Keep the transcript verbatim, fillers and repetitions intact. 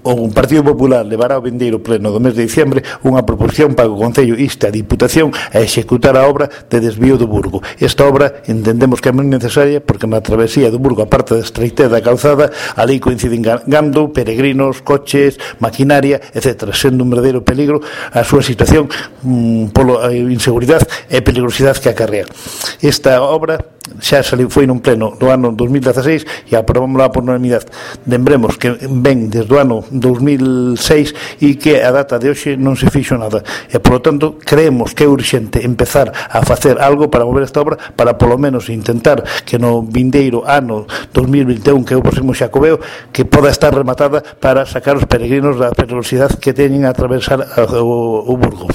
o Partido Popular levará ao vindeiro pleno do mes de diciembre unha proposición para que o Concello inste a Diputación a executar a obra de desvío do Burgo. Esta obra entendemos que é moi necesaria porque na travesía do Burgo, a parte da estreitez da calzada, ali coinciden gando, peregrinos, coches, maquinaria, etcétera, sendo un verdadeiro peligro a súa situación mmm, polo inseguridade e peligrosidade que acarrea. Esta obra xa saliu, foi nun pleno do ano dos mil dieciséis e aprobámosla por unanimidade. Lembremos que ven desde o ano dos mil seis e que a data de hoxe non se fixo nada e, polo tanto, creemos que é urxente empezar a facer algo para mover esta obra para, polo menos, intentar que no vindeiro ano dos mil vinte e un, que é o próximo Xacobeo, que poda estar rematada para sacar os peregrinos da peligrosidade que teñen a atravesar o, o Burgo.